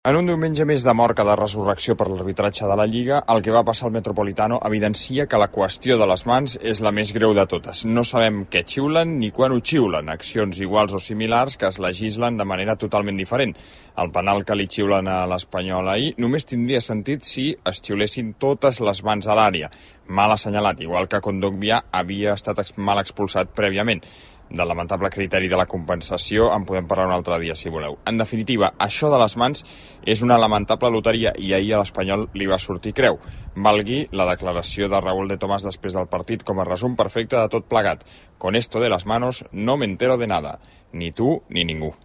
En un diumenge més de mort que de resurrecció per l'arbitratge de la Lliga, el que va passar al Metropolitano evidencia que la qüestió de les mans és la més greu de totes. No sabem què xiulen ni quan ho xiulen, accions iguals o similars que es legislen de manera totalment diferent. El penal que li xiulen a l'Espanyol ahir només tindria sentit si es xiulessin totes les mans a l'àrea. Mal assenyalat, igual que Kondogbia havia estat mal expulsat prèviament. Del lamentable criteri de la compensació en podem parlar un altre dia, si voleu. En definitiva, això de les mans és una lamentable loteria i ahir a l'Espanyol li va sortir creu. Valgui la declaració de Raúl de Tomàs després del partit com a resum perfecte de tot plegat. Con esto de las manos no me entero de nada. Ni tu ni ningú.